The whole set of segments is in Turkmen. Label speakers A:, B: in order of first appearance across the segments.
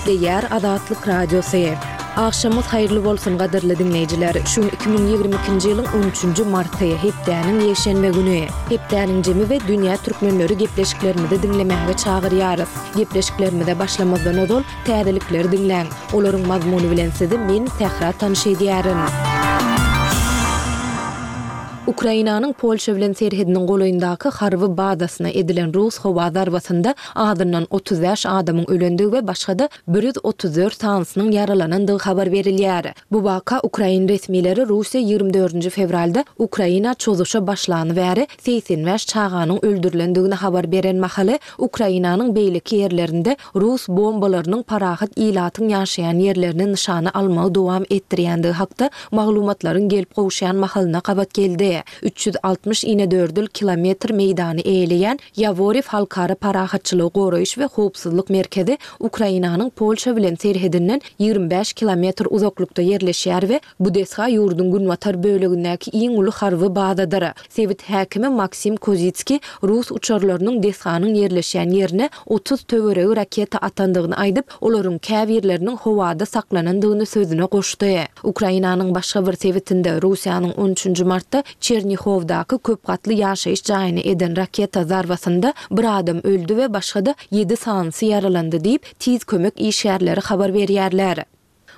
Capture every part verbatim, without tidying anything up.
A: Gepleýär Azatlyk Radiosy. Agşamyňyz haýyrly bolsun gadyrly diňleýjiler. Şu gün iki müň ýigrimi ikinji ýylyň on üçünji marty, hepdäniň ýekşenbe güni. Hepdäniň jemi we dünýä türkmenleri gepleşiklerimizi diňlemäge çagyrýarys. Gepleşiklerimize başlamazdan ozal, täzelikleri diňläň. Olaryň mazmuny bilen sizi men, Sähra tanyş edýärin. Ukrainanyň Polşa bilen serhediniň golaýyndaky harby bazasyna edilen rus howa zarbasynda azyndan otuz bäş adamyň ölendigi we başga-da bir ýüz otuz dört sanysynyň ýaralanandygy habar berilýär. Bu waka ukrain resmileri Russiýa ýigrimi dördünji fewralda Ukraina çozuşa başlany bäri segsen bäş çaganyň öldürilendigini habar beren mahaly Ukrainanyň beýleki ýerlerinde rus bombalarynyň parahat ilatyň ýaşaýan ýerlerini nyşana almagy dowam etdirýändigi hakda maglumatlaryň gelip gowuşýan mahalyna gabat geldi. Üç ýüz altmyş inedördül kilometr meýdany eýeleýän Ýaworew halkara parahatçylygy goraýyş we howpsuzlyk merkezi Ukrainanyň Polşa bilen serhedinden ýigrimi bäş kilometr uzaklykda ýerleşýär we bu desga ýurduň günbatar bölegindäki iň uly harby bazadyr. Sebit häkimi Maksim Kozitskiý rus uçarlarynyň desganyň ýerleşýän ýerine otuz töweregi raketa atandygyny aýdyp, olaryň käbirleriniň howada saklanandygyny sözüne goşdy. Ukrainanyň başga bir sebitinde, Russiýanyň on üçünji martda Çernihowdaky köp gatly ýaşaýyş jaýyna eden raketa zarbasynda bir adam öldi we başga-da ýedi sanysy ýaralandy diýip, tiz kömek işgärleri habar berýärler.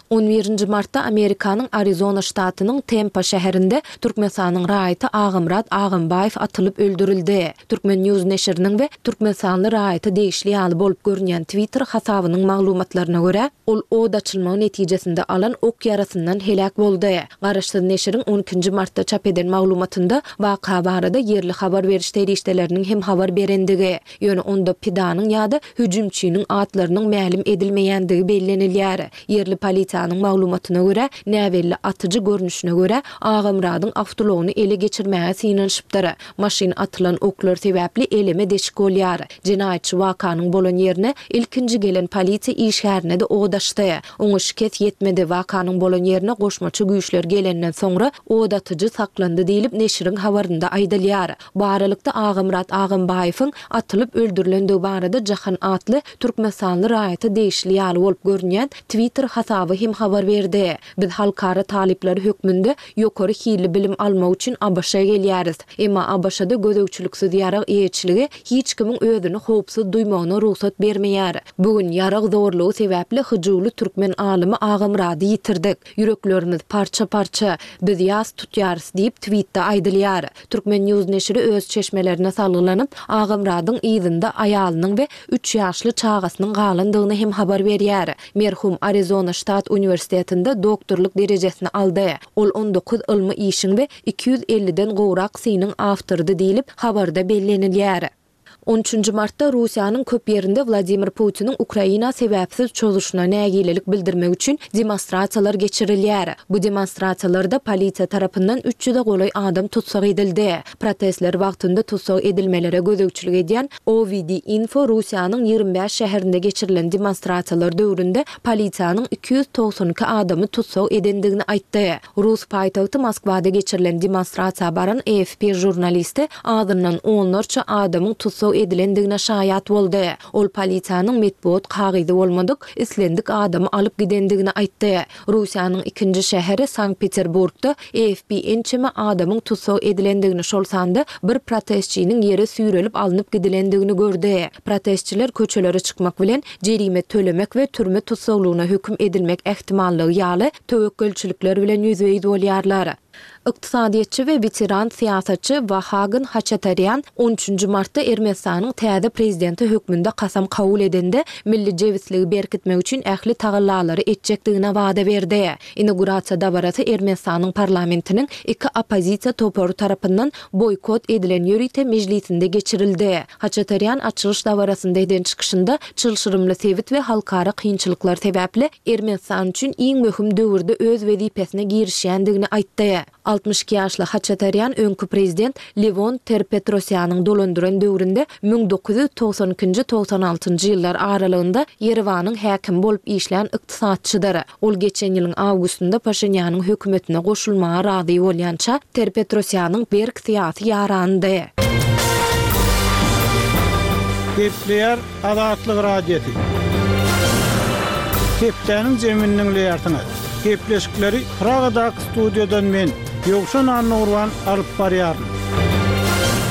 A: On birinji martda Amerikanyň Arizona ştatynyň Tempa şäherinde Türkmenistanyň raýaty Agamyrat Agambaýew atylyp öldürildi. Turkmen. News neşiriniň we türkmenistanly raýata degişli ýaly bolup görünýän Twitter hasabynyň maglumatlaryna görä, ol od açylmagy netijesinde alan ok ýarasyndan heläk boldy. Garaşsyz neşiriň on ikinji martda çap eden maglumatynda waka barada ýerli habar beriş serişdeleriniň hem habar berendigi, ýöne onda pidanyň ýa-da hüjümçiniň atlarynyň mälim edilmeýändigi bellenilýär. Ýerli polisiýanyň maglumatyna görä, näbelli atyjy görnüşine görä, Agamyradyň awtoulagyny ele geçirmäge synanyşypdyr. Maşyn atylan oklar sebäpli eleme deşik bolýar. Jenaýatçy wakanyň bolan ýerine ilkinji gelen polisiýa işgärine-de od açdy. Oňa şikes ýetmedi. Wakanyň bolan ýerine goşmaça güýçler gelenden soňra od atyjy saklandy diýlip, neşiriň habarynda aýdylýar. Bu aralykda, Agamyrat Agambaýewiň atylyp öldürilendigi barada Jahan atly türkmenistanly raýata degişli ýaly bolup görünýän Twitter hasaby hem habar berdi. Biz halkara talyplary hökmünde ýokary hilli bilim almak üçin ABŞ-a gelýäris. Emma ABŞ-da gözegçiliksiz ýarag eýeçiligi hiç kimiň özüni howpsuz duýmagyna rugsat bermeýär. Bu gün ýarag zorlugy sebäpli hyjuwly türkmen alymy Agamyrady ýitirdik. Ýüreklerimiz parça-parça. Biz ýas tutýarys diýip, twitde aýdylýar. Turkmen. News neşiri öz çeşmelerine salgylanyp, Agamyradyň yzynda aýalynyň we üç ýaşly çagasynyň galandygyny hem habar berýär. Merhum Arizona ştat uniwersitetinde doktorlyk derejesini aldy. Ol on dokuz ylmy işiň we iki ýüz elliden gowrak synyň awtorydy diýlip, habarda bellenilýär. On üçünji martda Russiýanyň köp ýerinde Wladimir Putiniň Ukraina sebäpsiz çozuşyna nägilelik bildirmek üçin demonstrasiýalar geçirilýär. Bu demonstrasiýalarda polisiýa tarapyndan üç ýüze golaý adam tussag edildi. Protestler wagtynda tussag edilmelere gözegçilik edýän O W D Info Russiýanyň ýigrimi bäş şäherinde geçirilen demonstrasiýalar döwründe polisiýanyň iki ýüz togsan iki adamy tussag edendigini aýtdy. Rus paýtagty Moskwada geçirilen demonstrasiýa baran A F P žurnalisti azyndan onlarça adamyň tussag edilendigine şaýat boldy. Ol polisiýanyň metbugat kagyzy bolmadyk islendik adamy alyp gidendigini aýtdy. Russiýanyň ikinji şäheri Sankt-Peterburgda A F P ençeme adamyň tussag edilendigini, şol sanda bir protestçiniň ýere süýrelip alnyp gidilendigini gördi. Protestçiler köçelere çykmak bilen, jerime tölemek we türme tussaglygyna höküm edilmek ähtimallygy ýaly töwekgelçilikler bilen ýüzbe-ýüz bolýarlar. Ykdysadyýetçi we weteran syýasatçy Wahagn Haçatarýan on üçünji martda Ermenistanyň täze prezidenti hökmünde kasam kabul edende, milli jebisligi berkitmek üçin ähli tagallalary etjekdigine wada berdi. Inaugurasiýa dabarasy Ermenistanyň parlamentiniň iki oppozisiýa topary tarapyndan boýkot edilen ýörite mejlisinde geçirildi. Haçatarýan açylyş dabarasynda eden çykyşynda çylşyrymly sebit we halkara kynçylyklar sebäpli Ermenistan üçin iň möhüm döwürde öz wezipesine girişýändigini aýtdy. Altmyş iki ýaşly Haçatarýan öňki prezident Lewon Ter-Petrosýanyň dolandyran döwründe müň dokuz ýüz togsan ikinji togsan altynjy ýyllar aralygynda Ýerewanyň häkimi bolup işlän ykdysatçydyr. Ol geçen ýylyň awgustynda Paşinýanyň hökümetine goşulmaga razy bolýança, Ter-Petrosýanyň berk syýasy ýaranydy.
B: Gepleýär Azatlyk Radiosy. Hepdäniň jemini diňleýärsiňiz. Gepleşikleri Pragadaky studiýadan men, Ýowşan Annagurban alyp barýaryn.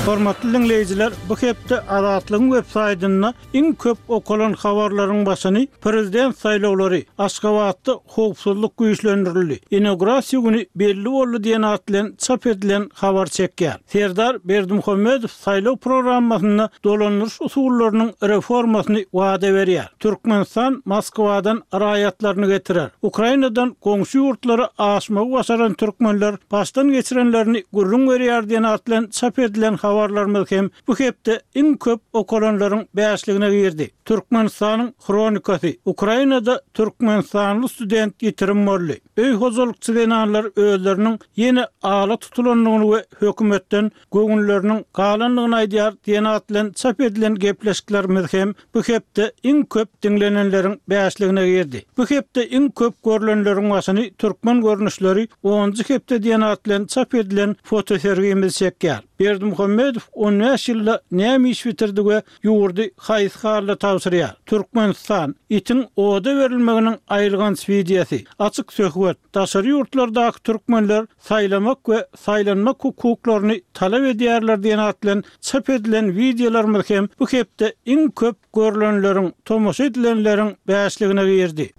B: Hormatly diňleýjiler, bu hepde Azatlygyň web saýtynda iň köp okalan habarlaryň başyny prezident saýlawlary, Aşgabatda howpsuzlyk güýçlendirildi, inaugurasiýa güni belli boldy diýen at bilen çap edilen habar çekýär. Serdar Berdimuhamedow saýlaw programmasynda dolandyryş usullarynyň reformasyny wada berýär. Türkmenistan Moskwadan raýatlaryny getirer. Ukrainadan goňşy ýurtlara aşmagy başaran türkmenler başdan geçirenlerini gürrüň berýär diýen at bilen çap edilen habarlarymyz hem bu hepde iň köp okalanlaryň bäşligine girdi. Türkmenistanyň Hronikasy, Ukrainada türkmenistanly student ýitirim boldy. Öý hojalykçy zenanlar özleriniň ýene ala tutulandygyny we hökümetden göwünleriniň galandygyny aýdýar diýen at bilen çap edilen gepleşiklerimiz hem bu hepde iň köp diňlenenleriň bäşligine girdi. Bu hepde iň köp görlenleriň başyny türkmen görnüşleri onunjy hepde diýen at bilen çap edilen fotosergimiz çekýär. Berdimuhamedow on bäş ýylda näme iş bitirdi we ýurdy haýsy halda tabşyrýar? Türkmenistan, itiň oda berilmeginiň aýylganç wideosy, açyk söhbet, daşary ýurtlardaky türkmenler saýlamak we saýlanmak hukuklaryny talap edýärler diýen at bilen çap edilen wideolarymyz hem bu hepde iň köp görlenleriň, tomaşa edilenleriň bäşligine girdi.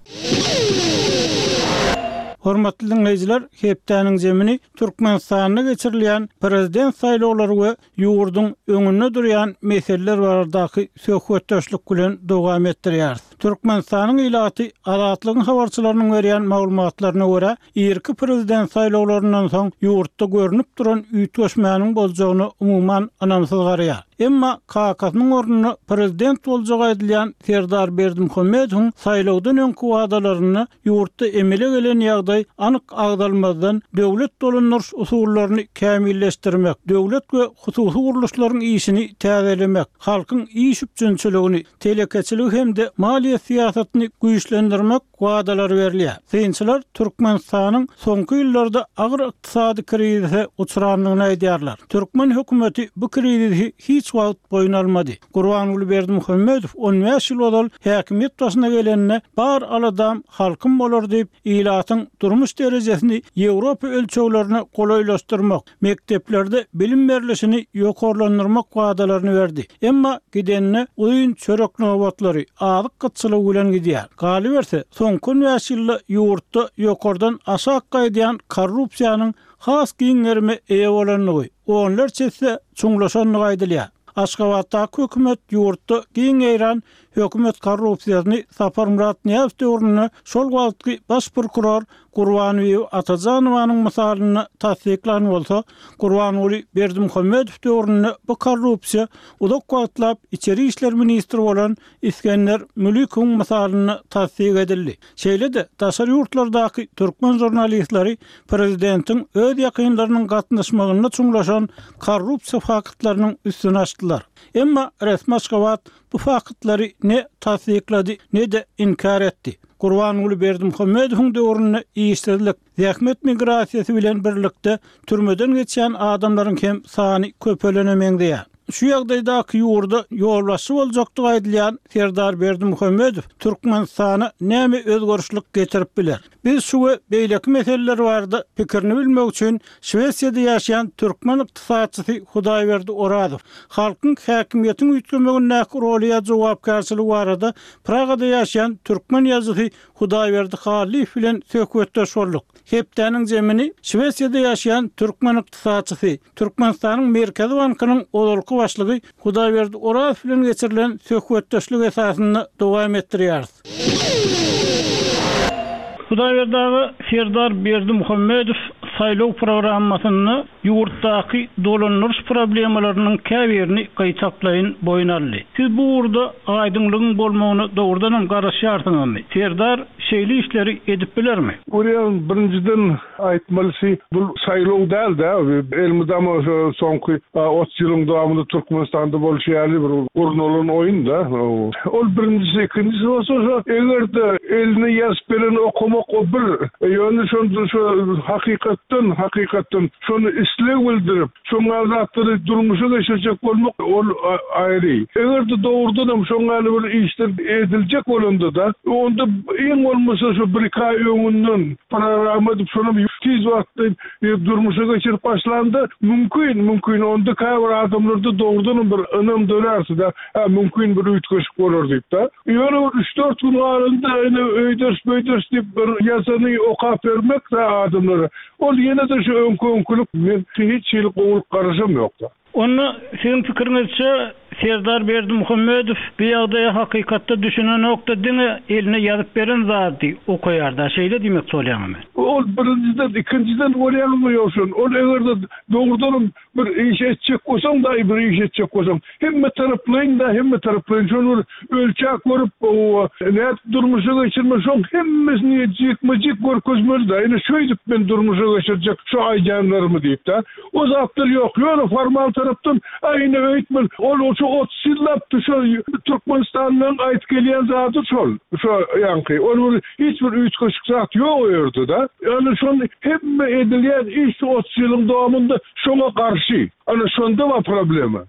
B: Hormatly diňleýjiler, hepdäniň jemini Türkmenistanda geçirilýän prezident saýlawlary we ýurduň öňünde durýan meseleler baradaky söhbetdeşlik bilen dowam etdirýäris. Türkmenistanyň ilaty Azatlygyň habarçylarynyň berýän maglumatlaryna görä, irki prezident saýlawlaryndan soň ýurtda görnüp duran üýtgeşmäniň boljagyna umuman ynamsyz garaýar. Emma kakasynyň ornuna prezident boljagy aýdylýan Serdar Berdimuhamedowyň saýlawdan öňki wadalarynda ýurtda emele gelen ýagdaý anyk agzalmazdan döwlet dolandyryş usullaryny kämilleşdirmek, döwlet we hususy gurluşlaryň işini täzelemek, halkyň iş üpjünçiligini, telekeçiligi hem-de maliýe syýasatyny güýçlendirmek wadalary berilýär. Synçylar Türkmenistanyň soňky ýyllarda agyr ykdysady krizise uçrandygyny aýdýarlar. Türkmen hökümeti bu krizisi hiç wagt boýun almady. Gurbanguly Berdimuhamedow on bäş ýyl ozal häkimiýet başyna gelende bar aladam halkym bolar diýip, ilatyň durmuş derejesini Ýewropa ölçeglerine golaýlaşdyrmak, mekdeplerde bilim berlişini ýokarlandyrmak wadalaryny berdi. Emma gidenine uzyn çörek nobatlary, azyk gytçylygy bilen gidýär. Galyberse, soňky on bäş ýylda ýurtda ýokardan aşak gaýdýan korrupsiýanyň has giň gerime eýe bolandygy, onlarça esse çuňlaşandygy aýdylýar. Aşgabatdaky hökümet ýurtda giň ýaýran hökümet korrupsiýasyny Saparmyrat Nyýazow döwründe şol wagtky baş prokuror Gurbanguly Atajanowanyň mysalynda tassyklan bolsa, Gurbanguly Berdimuhamedow döwründe bu korrupsiýa uzak wagtlap içeri işler ministri bolan Isgender Mülikowyň mysalynda tassyk edildi. Şeýle-de daşary ýurtlardaky türkmen žurnalistleri prezidentiň öz ýakynlarynyň gatnaşmagynda çuňlaşan korrupsiýa faktlarynyň üstüni açdylar. Emma resmi Aşgabat bu faktlary ne tassyklady, ne-de inkär etdi. Gurbanguly Berdimuhamedowyň döwründe işsizlik, zähmet migrasiýasy bilen birlikde türmeden geçýän adamlaryň hem sany köpelene meňzeýär. Şu ýagdaýdaky ýurda ýolbaşçy boljakdygy aýdylýan Serdar Berdimuhamedow Türkmenistana näme özgerişlik getirip biler? Biz şu we beýleki meseleler barada pikirini bilmek üçin Şwesiýada ýaşaýan türkmen ykdysatçysy Hudaýberdi Orazow, halkyň häkimiýetiň üýtgemegindäki roly ýa jogapkärçiligi barada Pragada ýaşaýan türkmen ýazyjysy Hudaýberdi Hallyýew bilen söhbetdeş bolduk. Hepdäniň jemini Şwesiýada ýaşaýan türkmen ykdysatçysy, Türkmenistanyň Merkezi bankynyň ozalky başlygy Hudaýberdi Orazow bilen geçirilen söhbetdeşlik esasynda dowam etdirýäris. Hudaýberdi aga, Serdar Berdimuhamedow saýlaw programmasynda ýurtdaky dolandyryş problemalarynyň käbirini gaýtaklaýyn boýun aldy. Siz bu ugurda aýdyňlygyň bolmagyna dogrudanam garaşýarsyňyzmy? Serdar şeýle işleri edip bilermi?
C: Görýän, birinjiden aýtmalysy bu saýlaw däl-de, elmydama şo soňky otuz ýylyň dowamynda Türkmenistanda bolşy ýaly bir gurnalan oýun-da. Ol birinjisi, ikinjisi bolsa şo eger-de eline ýazyp bereni okamak o bir, ýöne şonda şo hakykat Hakykatdan, hakykatdan şony isleg bildirip, şoňa zatlary durmuşa geçirjek bolmak ol aýry. Eger-de dogrudanam şoňa bir işler ediljek bolanda-da, onda iň bolmasa şu bir iki aý öňünden program edip şony tiz wagtda durmuşa geçirip başlanda mümkin, mümkin onda käbir adamlarda dogrudanam bir ynam dörärse-de, ha mümkin bir üýtgeşik bolar diýip-de. Ýöne bir üç dört gün galanda ýene öýders böýders diýip bir ýazany okap bermek de adamlara. Ol ýene-de şu öňkü-öňkülük men hiç hili gowulyk garaşam ýok-da.
B: Onda siziň pikiriňizçe Serdar Berdimuhamedow bu ýagdaýa hakykatda düşünenokda diňe eline ýazyp beren zady okaýarda, şeýle diýmek bolýarmy?
C: Ol birinjiden, ikinjiden bolýarmy ýogsa? Ol eger-de dogrudanam bir iş etjek bolsaň da bir iş etjek bolsaň, hemme taraplaýyn da, hemme taraplaýyn şony bir ölçek görüp, o nädip durmuşa geçirme, şoň hemmesini jikme-jik görkezmeli da. Ine şöýdüp men durmuşa geçirjek şu aýdýanlarymy diýip-de. O zatlar ýok. Ýöne formal tarapdan aýny öýtmel. Ol şu otuz ýyllap şu Türkmenistandan aýt gelýän zady şol. Şu ýaňky. Ol bir hiç bir üýtgeşik zat ýok o ýerde da. Ýani şol hemme edilýän iş otuz ýylyň dowamynda şoňa garşy. Ana şonda bar problema.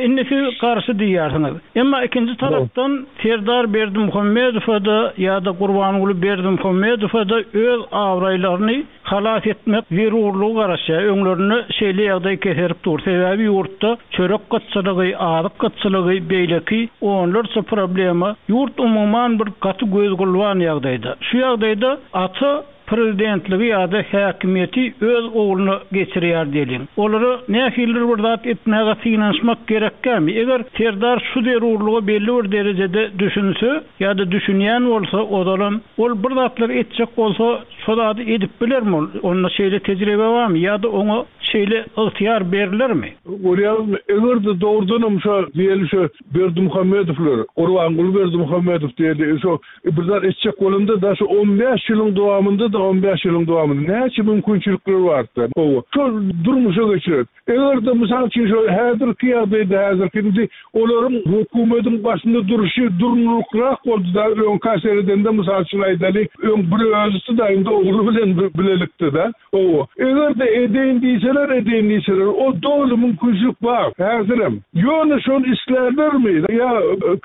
B: Indi siz garşy diýýärsiňiz. Emma ikinji tarapdan Serdar Berdimuhamedowa da ýa-da Gurbanguly Berdimuhamedowa da öz abraýlaryny halas etmek zerurlygy garaşýar. Öňlerinde şeýle ýagdaý keserip dur. Sebäbi ýurtda çörek gytçylygy, azyk gytçylygy, beýleki onlarça problema ýurt umuman bir gaty gözgulban ýagdaýda. Şu ýagdaýda ata prezidentligi ýa-da häkimiýeti öz ogluna geçirýär diýeliň. Olara nähilidir bir zat etmäge synanyşmak gerekkämi? Eger Serdar şu zerurlyga belli bir derejede düşünse ýa-da düşünýän bolsa, ozalam ol bir zatlar etjek bolsa, şo zady edip bilermi ol? Onda şeýle tejribe barmy ýa-da oňa şeýle ygtyýar berilermi?
C: Görýäňizmi, eger-de dogrudanam şo diýeli şo Berdimuhamedowlar, Gurbanguly Berdimuhamedow diýeli, şo bir zat etjek bolanda da şu on bäş ýylyň dowamynda da on bäş ýylyň dowamynda näçe mümkinçilikler bardy. Gowy. Şol durmuşa geçirer. Eger-de mysal üçin şo häzirki ýagdaýda häzirki indi olaryň hökümetiň başynda duruşy durnuklyrak boldy da öňki seredende mysal üçin aýdaly, öň bir özüsi da indi ogly bilen bilelikde da. Gowy. Eger-de edeýin diýseler, edeýin diýseler, o doly mümkinçilik bar häzirem. Ýöne şol islärlermi ýa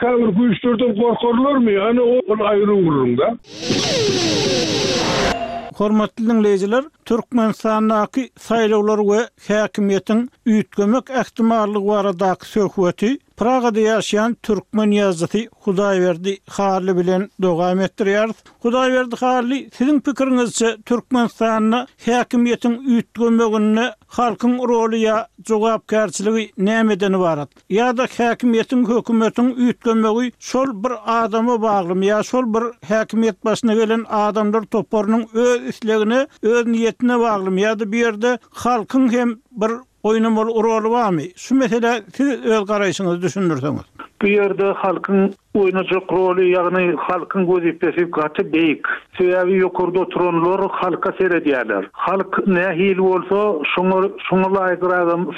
C: käbir güýçlerden gorkarlarmy? Ana ol aýry gürrüň da.
B: Hormatly dinleýjiler, Türkmenistandaky saýlawlar we häkimiýetiň üýtgemek ähtimallygy baradaky söhbeti Pragada ýaşaýan türkmen ýazyjysy Hudaýberdi Hally bilen dowam etdirýäris. Hudaýberdi Hally, siziň pikiriňizçe Türkmenistanda häkimiýetiň üýtgemeginde halkyň roly ýa jogapkärçiligi nämeden ibarat? Ýa-da häkimiýetiň hökümetiň üýtgemegi şol bir adama baglymy ýa şol bir häkimiýet başyna gelen adamlar toparynyň öz islegine, öz niýetine baglymy ýa-da bir ýerde halkyň hem bir oýnamaly roly barmy? Şu mesele siz öz garaýşyňyzy düşündirseňiz.
D: Bu ýerde halkyň oýnajak roly, ýagny halkyň wezipesi gaty beýik. Sebäbi ýokarda oturanlar halka seredýärler. Halk nähili bolsa, şoňa şoňa laýyk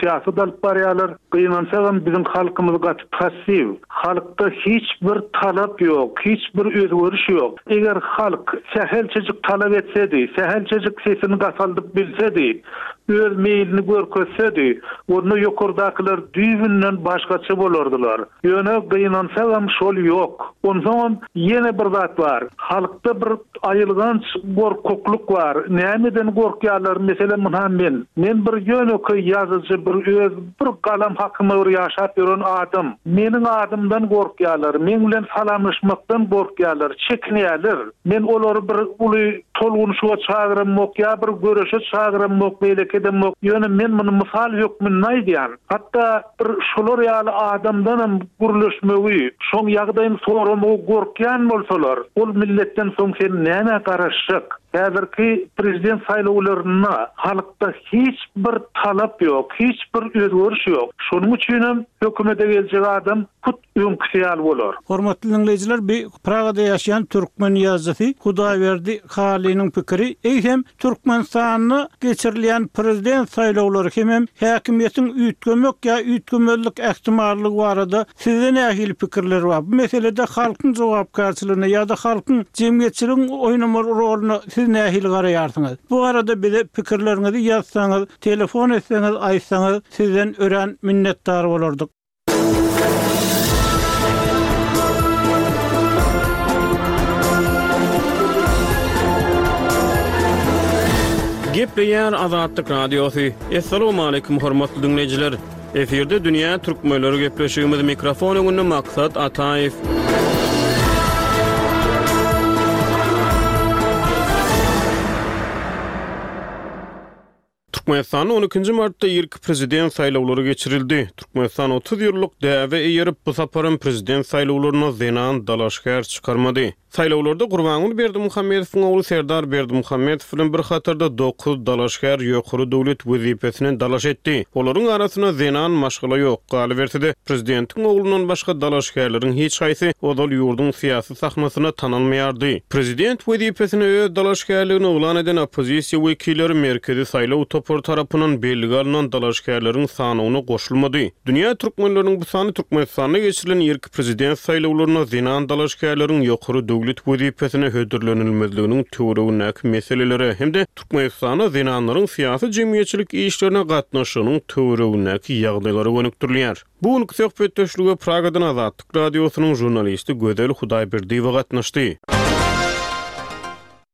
D: syýasat alyp barýarlar. Gynansagam biziň halkymyz gaty passiw. Halkda hiç bir talap ýok, hiç bir özgeriş ýok. Eger halk sähelçejik talap etsedi, sähelçejik sesini gataldyp bilsedi, öz meýlini görkezsedi, onda ýokardakylar düýbünden başgaça bolardylar. Ýöne gynansagam şol ýok. Onsoňam ýene bir zat bar. Halkda bir aýylganç gorkaklyk bar. Nämeden gorkýarlar? Meselem, mundan men. Men bir ýönekeý ýazyjy, bir öz bir galam hakyma bir ýaşap ýören adam. Meniň adymdan gorkýarlar, men bilen salamlaşmakdan gorkýarlar, çekinýärler. Men olary bir uly tolgunşyga çagyramok ýa bir göreşe çagyramok, beýleki edemok. Ýöne men muny mysal hökmünde aýdýan. Hatda bir şolar ýaly adamdanam gürleşmegi, şoň ýagdaýyny soramagy gorkýan bolsalar, ol milletden soň sen näme garaşjak? Häzirki prezident saýlawlarynda halkda hiç bir talap ýok, hiç bir özgeriş ýok. Şonuň üçin hem hökümete geljek adam hut öňküsi ýaly bolar.
B: Hormatly dinleýjiler, bi Pragada ýaşaýan türkmen ýazyjysy Hudaýberdi Halynyň pikiri, eýsem Türkmenistanda geçirilýän prezident saýlawlary hemem häkimiýetiň üýtgemek ýa üýtgemezlik ähtimallygy barada sizde nähili pikirler bar? Bu meselede halkyň jogapkärçiligine ýa-da halkyň jemgyýetçiligiň oýnamaly roluna siz Siz nähili garaýarsyňyz? Bu arada bize pikirleriňizi ýazsaňyz, telefon etseňiz, aýtsaňyz sizden örän minnetdar bolardyk.
E: Gepleýär Azatlyk Radiosy. Essalamu aleýkum hormatly dinleýjiler. Efirde Dünýä Türkmenleri gepleşigimiz mikrofon öňünde Maksat Ataýew. Türkmenistanda on ikinji martda irki prezident saýlawlary geçirildi. Türkmenistan otuz ýyllyk däbe eýerip, bu saparam prezident saýlawlaryna zenan dalaşgär çykarmady. Saýlawlarda Gurbanguly Berdimuhamedowyň ogly Serdar Berdimuhamedow bilen bir hatarda dokuz dalaşgär ýokary döwlet wezipesine dalaş etdi. Olaryň arasynda zenan maşgala ýok. Galyberse-de prezidentiň oglundan başga dalaşgärleriň hiç haýsy ozal ýurduň syýasy sahnasyna tanalmaýardy. Prezident wezipesine öz dalaşgärligini yglan eden oppozisiýa wekilleri merkezi saýlaw topary tarapyndan bellige alynan dalaşgärleriň sanyna goşulmady. Dünýä türkmenleriniň bu sany Türkmenistanda geçirilen irki prezident saýlawlaryna zenan dalaşgärleriň ýokary döwlet wezipesine hödürlenilmezliginiň töweregindäki meselelere hem-de Türkmenistanda zenanlaryň syýasy jemgyýetçilik işlerine gatnaşygynyň töweregindäki ýagdaýlara gönükdirilýär. Bu günki söhbetdeşlige Pragadan Azatlyk Radiosynyň jurnalisti Gözel Hudaýberdiýewa gatnaşdy.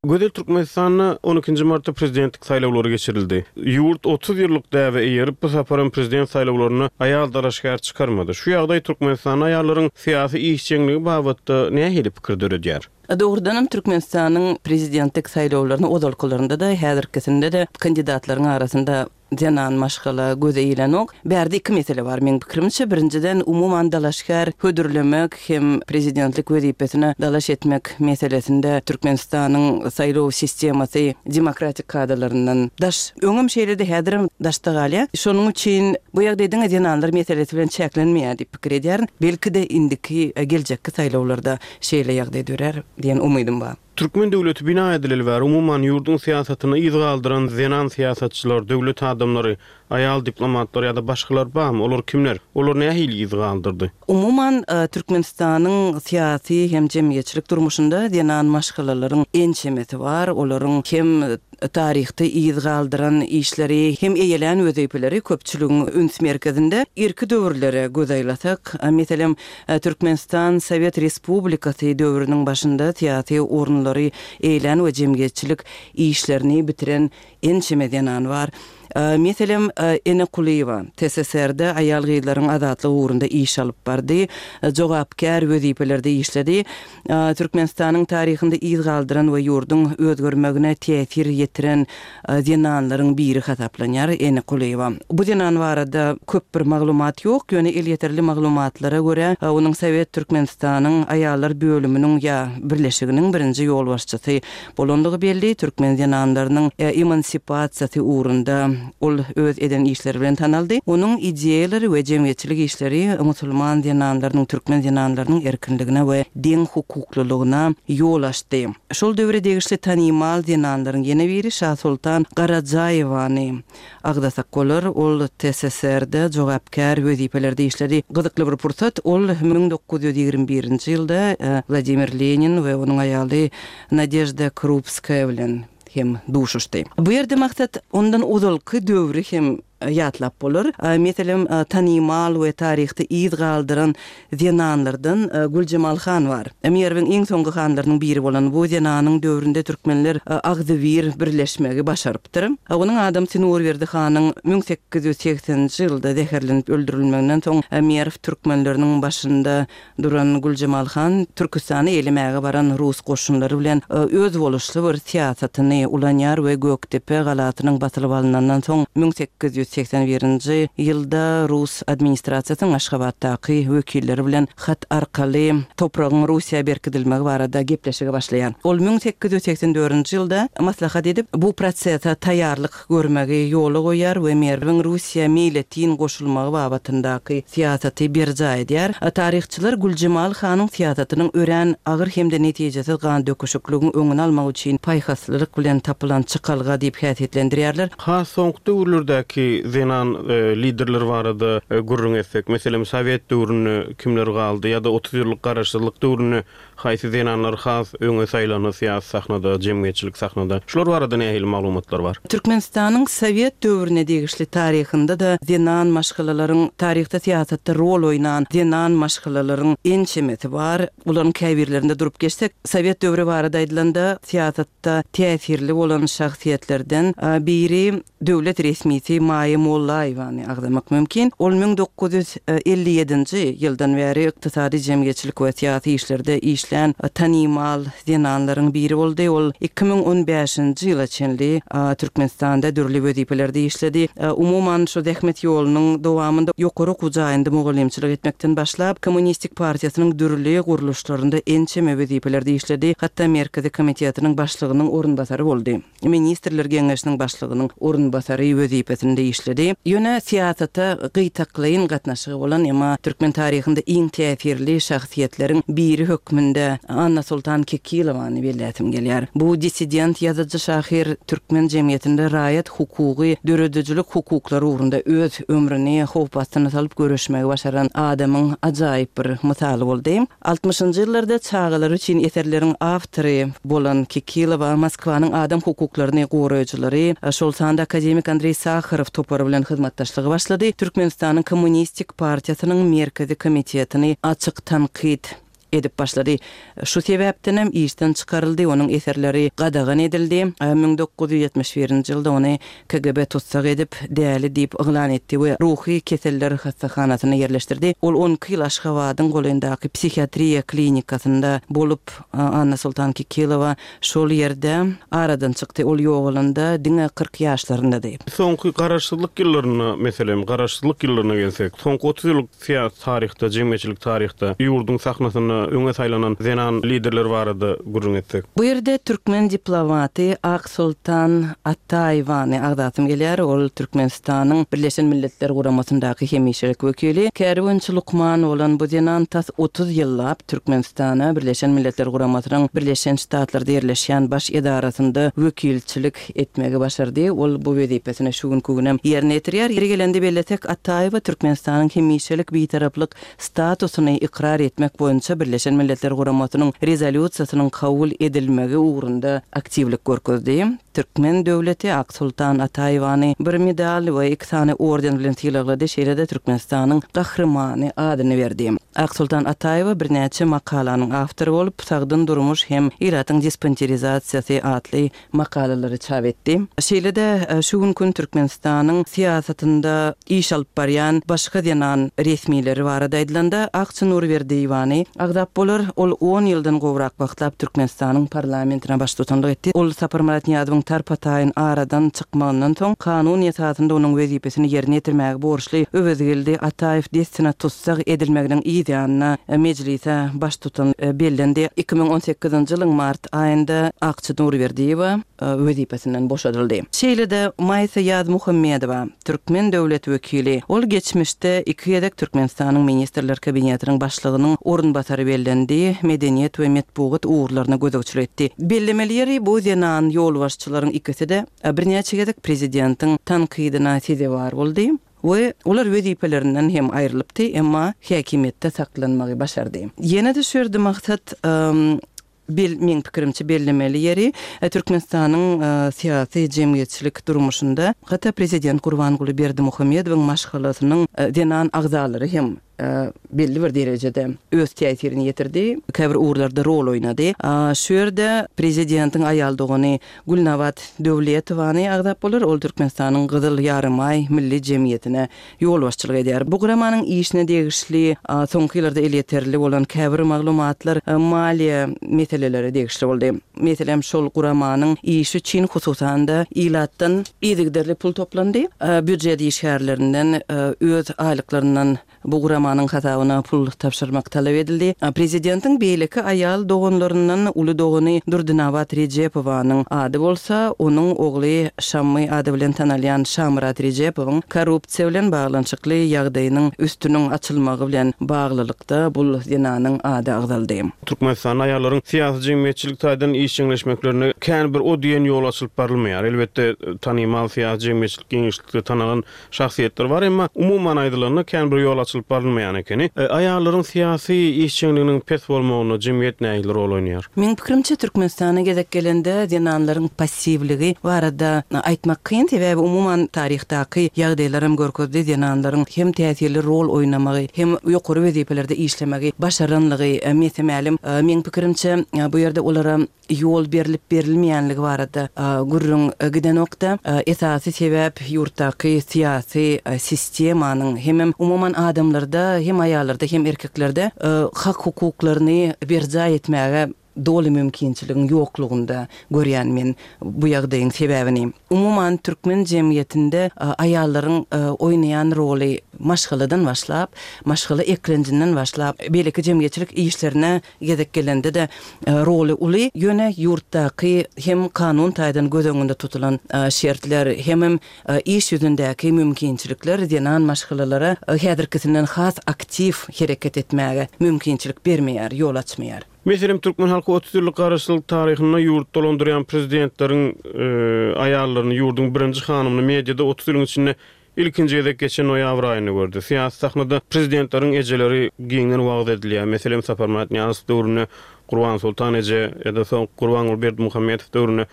E: Gözel, Türkmenistanda on ikinji martda prezidentlik saýlawlary geçirildi. Ýurt otuz ýyllyk däbe eýerip, bu saparam prezident saýlawlaryna aýal dalaşgär çykarmady. Şu ýagdaý Türkmenistanda aýallaryň syýasy işjeňligi babatda nähili pikir döredýär?
F: Doğrudanam Türkmenistanyň prezidentlik saýlawlaryny ozalkylarynda-da, häzirkisinde-de kandidatlaryň arasynda zenan maşgala göze ilenok. Bärde iki mesele bar meň pikirimçe. Birinjiden umuman dalaşgär hödürlemek hem prezidentlik wezipesine dalaş etmek meselesinde Türkmenistanyň saýlaw sistemasy demokratik kadalaryndan daş. Öňüm şeýle-de häzirem daşda galýar. Şonuň üçin bu ýagdaý diňe zenanlar meselesi bilen çäklenmeýär diýip pikir edýärin. Belki-de indiki geljekki saýlawlarda şeýle ýagdaý dörer diýen umydym bar.
E: Türkmen döwleti bina edileli bäri umuman ýurduň syýasatyny yz galdyran zenan syýasatçylar, döwlet adamlary, aýal diplomatlar ýa-da başgalar barmy? Olar kimler? Olar nähili yz galdyrdy?
F: Umuman, e, Türkmenistanyň syýasy hem jemgyýetçilik durmuşynda zenan maşgalalaryň ençemesi bar. Olaryň hem taryhda yz galdyran işleri, hem eýelän wezipeleri köpçüligiň üns merkezinde. Irki döwürlere göz aýlasak, e, meselem, e, Türkmenistan Sowet Respublikasy döwrüniň başynda syýasy orunlary eýlän we jemgyýetçilik işlerini bitiren ençeme zenan bar. E, meselem, e, Ene Kulyýewa T S S R-de aýal gyzlaryň azatlygy ugrunda iş alyp bardy, e, jogapkär wezipelerde işledi. E, Türkmenistanyň taryhynda yz galdyran we ýurduň özgermegine täsir ýetiren, e, zenanlaryň biri hasaplanýar Ene Kulyýewa. Bu zenan barada köp bir maglumat ýok, ýöne elýeterli maglumatlara görä, e, onuň Sowet Türkmenistanyň aýallar bölüminiň ýa birleşiginiň birinji ýolbaşçysy bolandygy belli. Türkmen zenanlarynyň, e, emansipasiýasy ugrunda ol öz eden işleri bilen tanaldy. Onuň ideýalary we jemgyýetçilik işleri musulman zenanlarynyň, türkmen zenanlarynyň erkinligine we deň hukuklylygyna ýol açdy. Şol döwre degişli tanymal zenanlaryň ýene biri Şah Sultan Garajaýewany agdasak bolar. Ol T S S R-de jogapkär wezipelerde işledi. Gyzykly bir pursat, ol müň dokuz ýüz ýigrimi birinji ýylda, e, Wladimir Lenin we onuň aýaly Nadejda Krupskaya bilen hem duşuşdy. Bu ýerde maksat ondan ozalky döwri hem ýatlap bolar. E, meselem, e, tanymal we taryhda yz galdyran zenanlardan, e, Güljemal han bar. E, Merwiň iň soňky hanlarynyň biri bolan bu zenanyň döwründe türkmenler, e, agzybir birleşmegi başarypdyr. E, onuň adamsy Nurberdi hanyň müň sekiz ýüz segseninji ýylda zäherlenip öldürilmeginden soň, e, Merw türkmenleriniň başynda duran Güljemal han Türküstany elemäge baran rus goşunlary bilen, e, öz boluşly bir syýasatyny ulanýar we Gökdepe galasynyň basylyp alynandan soň müň sekiz ýüz seksen birinji ýylda Rus administrasiýasynyň Aşgabatdaky wekilleri bilen hat arkaly topragyň Russiýa berkidilmegi barada gepleşige başlaýar. Ol müň sekiz ýüz seksen dördünji ýylda maslahat edip, bu prosese taýýarlyk görmegi ýola goýar we Merwiň Russiýa meýletin goşulmagy babatyndaky syýasaty berjaý edýär. Taryhçylar Güljemal hanyň syýasatynyň örän agyr hem-de netijesiz gan döküşikligiň öňüni almak üçin paýhaslylyk bilen tapylan çykalga diýip häsiýetlendirýärler.
E: Has soňky döwürlerdäki Taryhdaky zenan liderler barada gürrüň etsek, meselem, sowet döwründe kimler galdy ýa-da otuz ýyllyk garaşsyzlyk döwründe haýsy zenanlar has öňe saýlandy syýasy sahnada, jemgyýetçilik sahnada? Şular barada nähili maglumatlar bar?
F: Türkmenistanyň sowet döwrüne degişli taryhynda-da zenan maşgalalaryň taryhda syýasatda rol oýnan zenan maşgalalaryň ençemesi bar. Bularyň käbirlerinde durup geçsek, sowet döwri barada aýdylanda syýasatda täsirli bolan şahsyýetlerden biri döwlet resmisi Maýa Mollaýewany agzamak mümkin. Ol müň dokuz ýüz elli ýedinji ýyldan bäri ykdysady, jemgyýetçilik we syýasy işlerde işlän tanymal zenanlaryň biri boldy. Ol iki müň on bäşinji ýyla çenli Türkmenistanda dürli wezipelerde işledi. Umuman, şu zähmet ýolunyň dowamynda ýokary okuw jaýynda mugallymçylyk etmekden başlap, Kommunistik partiýasynyň dürli gurluşlarynda ençeme wezipelerde işledi. Hatda Merkezi komitetiniň başlygynyň orunbasary boldy. Ministrler Geňeşiniň başlygynyň orunbasary wezipesinde işledi. Ýöne syýasata gytaklaýyn gatnaşygy bolan, emma türkmen taryhynda iň täsirli şahsyýetleriň biri hökmünde Annasoltan Kekilowany belläsim gelýär. Bu dissident ýazyjy şahyr türkmen jemgyýetinde raýat hukugy, döredijilik hukuklary ugrunda öz ömrüni howp astyna salyp göreşmegi başaran adamyň ajaýyp bir mysaly boldy. Altmyşynjy ýyllarda çagalar üçin eserleriň awtory bolan Kekilowa Moskwanyň adam hukuklaryny goraýjylary, şol sanda akademik Andreý Saharow topary bilen hyzmatdaşlygy başlady. Türkmenistanyň Kommunistik partiýasynyň Merkezi komitetini açyk tankyt edip başlady. Şu sebäpden hem işden çykaryldy, onuň eserleri gadagan edildi. Müň dokuz ýüz ýetmiş birinji ýylda ony K G B tutsak edip, däli diýip yglan etdi we ruhy keseller hassahanasyna ýerleşdirdi. Ol on iki ýyl Aşgabadyň golaýyndaky psihiatriýa klinikasynda bolup, Annasoltan Kekilowa şol ýerde aradan çykdy. Ol ýogalanda diňe kyrk ýaşlaryndady.
E: Soňky garaşsyzlyk ýyllaryna, meselem, garaşsyzlyk ýyllaryna gelsek, soňky otuz ýyllyk syýasy taryhda, jemgyýetçilik taryhda ýurduň sahnasynda öňe saýlanan zenan liderler barada gürrüň etsek.
F: Bu ýerde türkmen diplomaty Aksoltan Ataýewany agzasym gelýär. Ol Türkmenistanyň Birleşen Milletler Guramasyndaky hemişelik wekili. Käri boýunça lukman bolan bu zenan tas otuz ýyllap Türkmenistana Birleşen Milletler Guramasynyň Birleşen Ştatlarda ýerleşýän baş edarasynda wekilçilik etmegi başardy. Ol bu wezipesini şu günkü günem ýerine ýetirýär. Ýeri gelende bellesek, Ataýewa Türkmenistanyň hemişelik bitaraplyk statusyny ykrar etmek boýunça Birleşen Milletler Guramasynyň rezolýusiýasynyň kabul edilmegi ugrunda aktiwlik görkezdi. Türkmen döwleti Aksoltan Ataýewany bir medal we iki sany orden bilen sylaglady, şeýle-de Türkmenistanyň gahrymany adyny berdi. Aksoltan Ataýewa birnäçe makalanyň awtory bolup, Sagdyn durmuş hem ilatyň dispanserizasiýasy atly makalalary çap etdi. Şeýle-de şu günkü Türkmenistanyň syýasatynda iş alyp barýan başga zenan resmileri barada aýdylanda, Akça Nurberdiýewany agzap bolar. Ol on ýyldan gowrak wagtlap Türkmenistanyň parlamentine baştutanlyk etdi. Ol Saparmyrat Nyýazowyň tarpataýyn aradan çykmagyndan soň kanun esasynda onuň wezipesini ýerine ýetirmäge borçly Öwezgeldi Ataýew dessine tutsak edilmeginiň yz ýanyna mejlise baştutan bellendi. iki müň on sekizinji ýylyň mart aýynda Akça Nurberdiýewa wezipesinden boşadyldy. Şeýle-de Maýsa Ýazmuhammedowa, türkmen döwlet wekili, ol geçmişde iki gezek Türkmenistanyň Ministrler Kabinetiniň başlygynyň orunbasary bellendi, medeniýet we metbugat ugurlaryna gözegçilik etdi. Bellemeli ýeri bu zenan ýolbaşçylaryň ikisi-de birnäçe gezek prezidentiň tankydyna sezewar boldy we olar wezipelerinden hem aýrylypdy, emma häkimiýetde saklanmagy başardy. Ýene-de şu ýerde maksat, bel, meň pikirimçe bellemeli ýeri, Türkmenistanyň syýasy jemgyýetçilik durmuşynda hatda prezident Gurbanguly Berdimuhamedowyň maşgalasynyň zenan agzalary hem belli bir derejede öz täsirini ýetirdi, käbir ugurlarda rol oýnady. Şu ýerde prezidentiň aýal dogany Gülnabat Döwletowany agzap bolar. Ol Türkmenistanyň Gyzyl Ýarymaý Milli Jemgyýetine ýolbaşçylyk edýär. Bu guramanyň işine degişli soňky ýyllarda elýeterli bolan käbir maglumatlar maliýe meseleleri degişli boldy. Meselem, şol guramanyň işi üçin hususan-da ilatdan yzygiderli pul toplandy. Býujet işgärlerinden öz aýlyklaryndan bu guramanyň hasabyna pul tabşyrmak talap edildi. Prezidentiň beýleki aýal doganlaryndan uly dogany Durdynabat Rejepowanyň ady bolsa, onuň ogly Şammy ady bilen tanalýan Şamyrat Rejepowyň korrupsiýa bilen baglanyşykly ýagdaýynyň üstüniň açylmagy bilen baglylykda bul zenanyň ady agzaldy.
E: Türkmenistanda aýallaryň syýasy-jemgyýetçilik taýdan işjeňleşmeklerine kän bir o diýen ýol açylyp barylmaýar. Elbetde, tanymal syýasy-jemgyýetçilik giňişlikde tanalan şahsyýetler bar, emma umuman aýdylanda kän bir ýol açylyp barylmaýan ekeni. Aýallaryň syýasy işjeňliginiň pes bolmagynda jemgyýet nähili rol oýnaýar?
F: Meň pikirimçe, Türkmenistana gezek gelende zenanlaryň passiwligi barada aýtmak kyn, sebäbi umuman taryhdaky ýagdaýlaram görkezdi, zenanlaryň hem täsirli rol oýnamagy, hem ýokary wezipelerde işlemegi başaranlygy mese-mälim. Meň pikirimçe, bu ýerde olara ýol berlip-berilmeýänligi barada gürrüň gidenok-da, esasy sebäp ýurtdaky syýasy sistemanyň hemem umuman adamlarda, hem aýallarda, hem erkeklerde hak-hukuklaryny berjaý etmäge doly mümkinçiligiň ýoklugynda görýän men bu ýagdaýyň sebäbini. Umuman türkmen jemgyýetinde aýallaryň oýnaýan roly maşgaladan başlap, maşgala eklenjinden başlap, beýleki jemgyýetçilik işlerine gezek gelende-de roly uly. Ýöne ýurtdaky hem kanun taýdan göz öňünde tutulan şertler, hemem iş ýüzündäki mümkinçilikler zenan maşgalalara häzirkisinden has aktiw hereket etmäge mümkinçilik bermeýär, ýol açmaýar.
E: Meselem, türkmen halky otuz ýyllyk garaşsyzlyk taryhynda ýurt dolandyrýan prezidentleriň aýallaryny, ýurduň birinji hanymyny mediada otuz ýylyň içinde ilkinji gezek geçen noýabr aýynda gördi. Syýasy sahnada prezidentleriň ejeleri giňden wagyz edilýär. Meselem, Saparmyrat Nyýazow döwründe Gurbansoltan eje ýa-da soň Gurbanguly Berdimuhamedow döwründe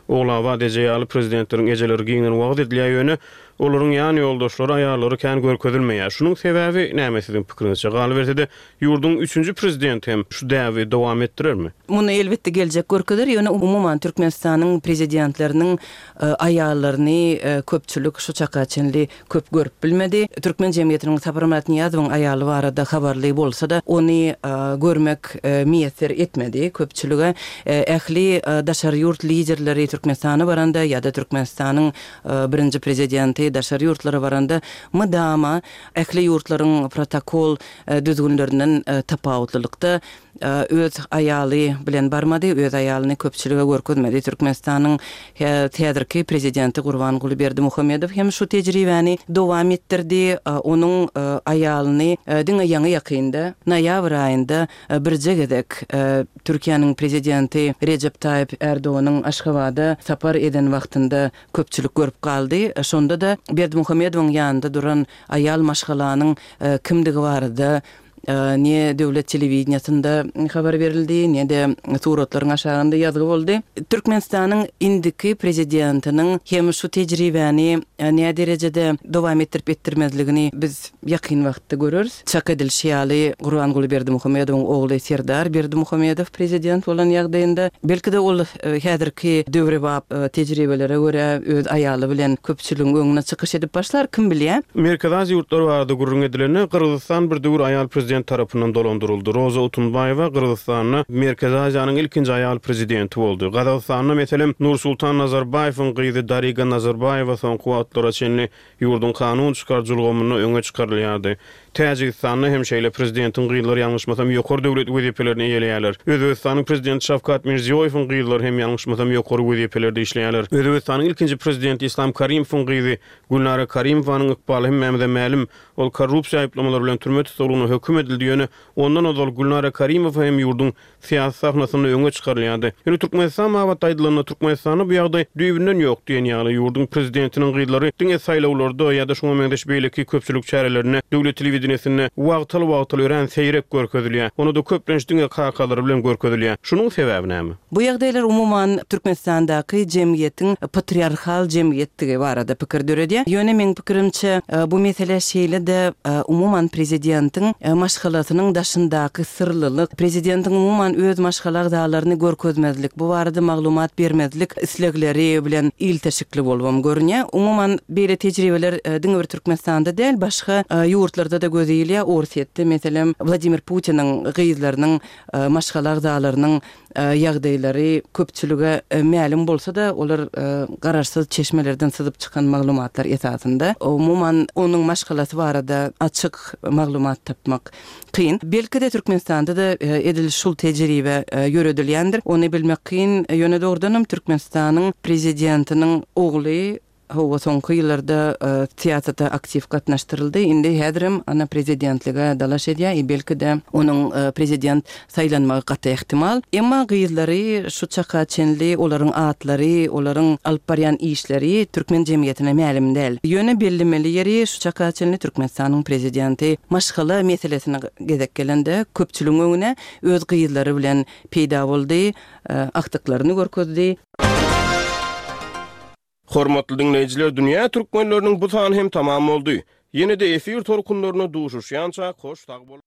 E: Ogulabat eje ýaly prezidentleriň ejeleri giňden wagyz edilýär, ýöne olaryň ýan ýoldaşlary, aýallary kän görkezilmeýär. Şunuň sebäbi näme siziň pikiriňizçe? Galyberse-de, ýurduň üçünji prezidenti hem şu däbi dowam etdirermi?
F: Muny elbetde geljek görkezer, ýöne umuman Türkmenistanyň prezidentleriniň aýallaryny köpçülik şu çaka çenli köp görüp bilmedi. Türkmen jemgyýetiniň Saparmyrat Nyýazowyň aýaly barada habarly bolsa-da, ony görmek miýesser etmedi köpçülige. Ähli daşary ýurt liderleri Türkmenistana baranda ýa-da Türkmenistanyň birinji prezidenti daşary ýurtlara baranda mydama ähli ýurtlaryň protokol düzgünlerinden tapawutlylykda öz aýaly bilen barmady, öz aýalyny köpçülige görkezmedi. Türkmenistanyň häzirki prezidenti Gurbanguly Berdimuhamedow hem şu tejribäni dowam etdirdi. Onuň aýalyny diňe ýaňy-ýakynda, noýabr aýynda birje gezek Türkiýäniň prezidenti Rejep Taýyp Ärdoganyň Aşgabada sapar eden wagtynda köpçülik görüp galdy. Şonda-da Berdimuhamedowyň ýanynda duran aýal maşgalanyň kimdigi barada ne döwlet telewideniýesinde habar berildi, ne-de suratlaryň aşagynda ýazgy boldy. Türkmenistanyň indiki prezidentiniň hem şu tejribäni näderejede dowam etdirip-etdirmezligini biz ýakyn wagtda göreris. Çak edilişi ýaly, Gurbanguly Berdimuhamedowyň ogly Serdar Berdimuhamedow prezident bolan ýagdaýynda, belki-de ol häzirki döwrebap tejribelere görä öz aýaly bilen köpçüligiň öňünde çykyş edip başlar, kim bilýär.
E: Merkezi Aziýa ýurtlary barada gürrüň edilende, Gyrgyzystan bir döwür aýal prezident tarapyndan dolandyryldy. Roza Otunbaýewa Gyrgyzystanda Merkezi Aziýanyň ilkinji aýal prezidenti boldy. Gazagystanda, meselem, Nursultan Nazarbaýewiň gyzy Dariga Nazarbaýewa soňky wagtlara çenli ýurduň kanun çykaryjy ulgamynda öňe çykarylýardy. Täjigistanda hem şeýle prezidentiň gyzlary ýalňyşmasam ýokary döwlet wezipelerini eýeleýärler. Özbegistanyň prezidenti Şawkat Mirziýoýewiň gyzlary hem ýalňyşmasam ýokary wezipelerde işleýärler. Özbegistanyň ilkinji prezidenti Islam Karimowyň gyzy Gülnara Karimowanyň ykbaly hemmämize mälim. Ol korrupsiýa aýyplamalary bilen türme tussaglygyna höküm edildi, ýöne ondan ozal Gülnara Karimowa hem ýurduň syýasy sahnasynda öňe çykarylýardy. Ýöne Türkmenistan babatda aýdylanda, Türkmenistanda bu ýagdaý düýbünden ýok diýen ýaly, ýurduň prezidentiniň gyzlary diňe saýlawlarda ýa-da şuňa meňzeş beýleki köpçülik çärelerinde, döwlet telewideniýesinde wagtal-wagtal örän seýrek görkezilýär. Onda-da köplenç diňe kakalary bilen görkezilýär. Şunuň sebäbi näme?
F: Bu ýagdaýlar umuman Türkmenistandaky jemgyýetiň patriarhal jemgyýetdigi barada pikir döredýär. Ýöne meň pikirimçe, bu mesele şeýle-de umuman prezidentiň maşgalasynyň daşyndaky syrlylyk, prezidentiň umuman öz maşgala agzalaryny görkezmezlik, bu barada maglumat bermezlik islegleri bilen ilteşikli bolubam görünýär. Umuman beýle tejribeler diňe bir Türkmenistanda däl, başga ýurtlarda-da göz ilýär. Orsýetde, meselem, Wladimir Putiniň gyzlarynyň, maşgala agzalarynyň ýagdaýlary köpçülige mälim bolsa-da, olar garaşsyz çeşmelerden syzyp çykan maglumatlar esasynda. Umuman, onuň maşgalasy barada açyk maglumat tapmak kyn. Belki-de, Türkmenistanda-da edil şul tejribe ýöredilýändir. Ony bilmek kyn. Ýöne dogrudanam Türkmenistanyň prezidentiniň ogly hawa soňky ýyllarda syýasata aktiw gatnaşdyryldy. Indi häzirem ana prezidentlige dalaş edýär. I belki-de onuň prezident saýlanmagy gaty ähtimal. Emma gyzlary şu çaka çenli olaryň atlary, olaryň alyp barýan işleri türkmen jemgyýetine mälim däl. Ýöne bellemeli ýeri şu çaka çenli Türkmenistanyň prezidenti maşgala meselesine gezek gelende köpçüligiň öňüne öz gyzlary bilen peýda boldy, agtyklaryny görkezdi.
E: Hormatly diňleýjiler, dünýä türkmenleriniň bu sany hem tamam boldy. Ýene-de efir tolkunlarynda duşuşýança hoş sag boluň.